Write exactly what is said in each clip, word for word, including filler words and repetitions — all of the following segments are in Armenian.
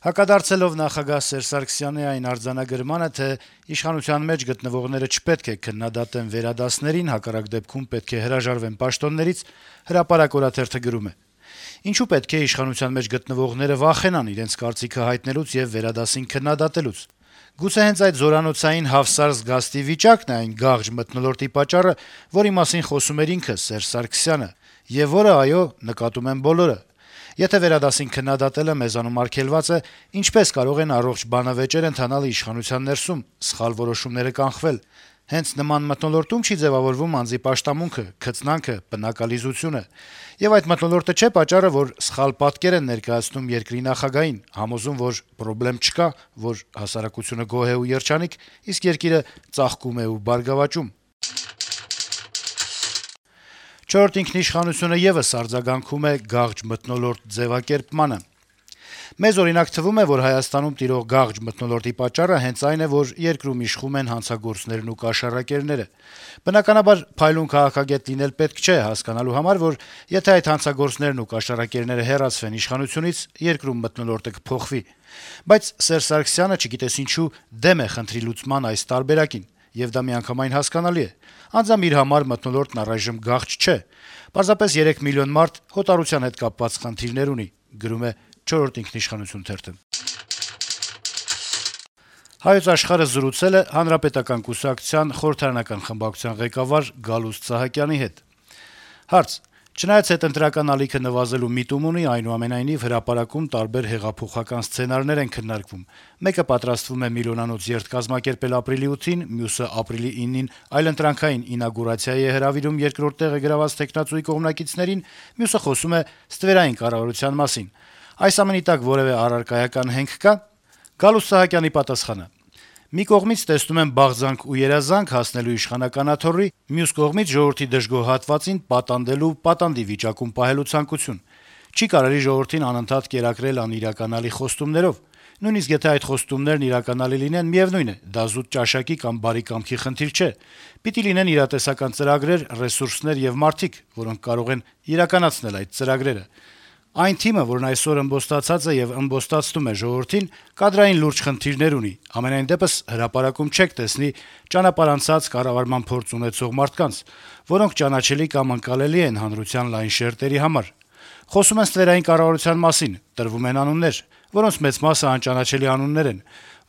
Հակադարձելով նախագահ Սերժ Սարգսյանի այն արձանագրմանը, թե իշխանության մեջ գտնվողները չպետք է քննադատեն վերադասներին, հակառակ դեպքում պետք է հրաժարվեն պաշտոններից, «Հրապարակ» օրաթերթը գրում է. - «Ինչու պետք է իշխանության մեջ գտնվողները վախենան իրենց կարծիքը հայտնելուց եւ վերադասին քննադատելուց: Գուցե հենց այդ զորանոցային հավսար զգաստի վիճակն է այն գաղձ մթնոլորտի պատճառը, որի մասին խոսում էր ինքը Սերժ Սարգսյանը, եւ որը, այո, նկատում են բոլորը: Եթե վերադասին քննադատելը մեզանում արգելված է, ինչպե՞ս կարող են առողջ բանավեճեր ընթանալ իշխանության ներսում, սխալ որոշումները կանխվել: Հենց նման մթնոլորտում չի ձեւավորվում անձի պաշտամունքը, քծնանքը, պնակալիզությունը: Եվ այդ մթնոլորտը չէ պատճառը, որ սխալ պատկեր են ներկայացնում երկրի նախագահին, համոզում, որ պրոբլեմ չկա, որ հասարակությունը գոհ է ու երջանիկ, իսկ երկիրը ծաղկում է ու բարգավաճում»: «Չորրորդ ինքնիշխանություն»-ը եւս արձագանքում է գաղձ մթնոլորտ ձեւակերպմանը. - «Մեզ, օրինակ, թվում է, որ Հայաստանում տիրող գաղձ մթնոլորտի պատճառը հենց այն է, որ երկրում իշխում են հանցագործներն ու կաշառակերները: Բնականաբար, փայլուն քաղաքագետ լինել պետք չէ հասկանալու համար, որ եթե այդ հանցագործներն ու կաշառակերները հեռացվեն իշխանությունից, երկրում մթնոլորտը կփոխվի: Բայց Սերժ Սարգսյանը, չգիտես ինչու, դեմ է խնդրի լուծման այս տարբերակին: Եվ դա միանգամայն հասկանալի է: Անձամբ իր համար մթնոլորտն առայժմ գաղձ չէ: Պարզապես երեք միլիոն մարդ հոտառության հետ կապված խնդիրներ ունի»: «Հայոց Աշխարհ»-ը զրուցել է Հանրապետական կուսակցության խորհրդարանական խմբակցության ղեկավար Գալուստ Սահակյանի հետ: Հարց. - «Չնայած հետընտրական ալիքը նվազելու միտում ունի, այնուամենայնիվ հրապարակում տարբեր հեղափոխական սցենարներ են քննարկվում: Մեկը պատրաստվում է միլիոնանոց երթ կազմակերպել ապրիլի ութին, մյուսը` ապրիլի իննին այլընտրանքային ինագուրացիայի է հրավիրում երկրորդ տեղը գրաված թեկնածուի կողմնակիցներին, մյուսը խոսում է ստվերային կառավարության մասին: Այս ամենի տակ որեւէ առարկայական հենք կա՞»: Գալուստ Սահակյանի պատասխանը. - «Մի կողմից տեսնում եմ բաղձանք ու երազանք հասնելու իշխանական աթոռի, մյուս կողմից` ժողովրդի դժգոհ հատվածին պատանդելու, պատանդի վիճակում պահելու ցանկություն: Չի կարելի ժողովրդին անընդհատ կերակրել անիրականալի խոստումներով: Նույնիսկ եթե այդ խոստումներն իրականալի լինեն, միեւնույն է, դա զուտ ճաշակի կամ բարի կամքի խնդիր չէ: Պիտի լինեն իրատեսական ծրագրեր, ռեսուրսներ եւ մարդիկ, որոնք կարող են իրականացնել այդ ծրագրերը: Այն թիմը, որն այսօր ըմբոստացած է եւ ըմբոստացնում է ժողովրդին, կադրային լուրջ խնդիրներ ունի: Համենայն դեպս, հրապարակում չեք տեսնի ճանապարհ անցած, կառավարման փորձ ունեցող մարդկանց, որոնք ճանաչելի կամ ընկալելի են հանրության լայն շերտերի համար: Խոսում են ստվերային կառավարության մասին, տրվում են անուններ, որոնց մեծ մասը անճանաչելի անուններ են,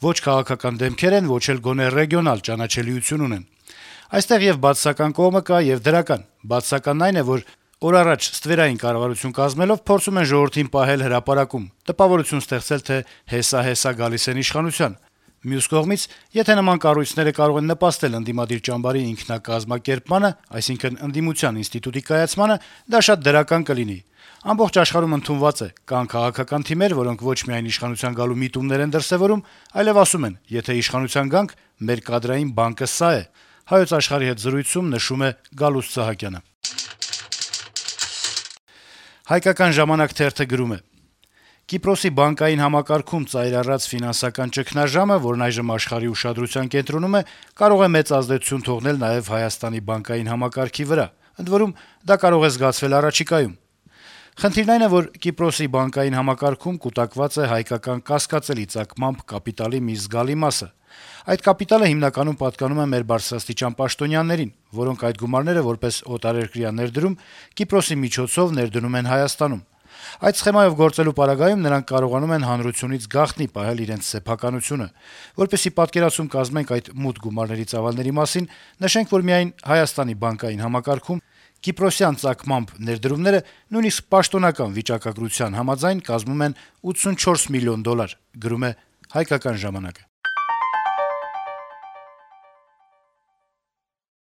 ոչ քաղաքական դեմքեր են, ոչ էլ գոնե ռեգիոնալ ճանաչելիություն ունեն: Այստեղ ե'ւ բացասական կողմը կա, ե'ւ դրական: Բացասականն այն է, որ օր առաջ ստվերային կառավարություն կազմելով, փորձում են ժողովրդին պահել հրապարակում, տպավորություն ստեղծել, թե հեսա-հեսա գալիս են իշխանության: Մյուս կողմից, եթե նման կառույցները կարող են նպաստել ընդդիմադիր ճամբարի ինքնակազմակերպմանը, այսինքն` ընդդիմության ինստիտուտի կայացմանը, դա շատ դրական կլինի: Ամբողջ աշխարհում ընդունված է. կան քաղաքական թիմեր, որոնք ոչ միայն իշխանության գալու միտումներ են դրսեւորում, այլեւ ասում են` եթե իշխանության գանք, մեր կադրային բանկը սա է»: «Հայկական ժամանակ» թերթը գրում է. - «Կիպրոսի բանկային համակարգում ծայր առած ֆինանսական ճգնաժամը, որն այժմ աշխարհի ուշադրության կենտրոնում է, կարող է մեծ ազդեցություն թողնել նաեւ Հայաստանի բանկային համակարգի վրա: Ընդ որում, դա կարող է զգացվել առաջիկայում: Խնդիրն այն է, որ Կիպրոսի բանկային համակարգում կուտակված է հայկական կասկածելի ծագմամբ կապիտալի մի զգալի մասը: Այդ կապիտալը հիմնականում պատկանում է մեր բարձրաստիճան պաշտոնյաներին, որոնք այդ գումարները որպես օտարերկրյա ներդրում Կիպրոսի միջոցով ներդնում են Հայաստանում: Այդ սխեմայով գործելու պարագայում նրանք կարողանում են հանրությունից գաղտնի պահել իրենց սեփականությունը: Որպեսզի պատկերացում կազմենք այդ մութ գումարների ծավալների մասին, նշենք, որ միայն Հայաստանի բանկային համակարգում կիպրոսյան ծագմամբ ներդրումները նույնիսկ պաշտոնական վիճակագրության համաձայն կազմում են ութսունչորս միլիոն դոլար»: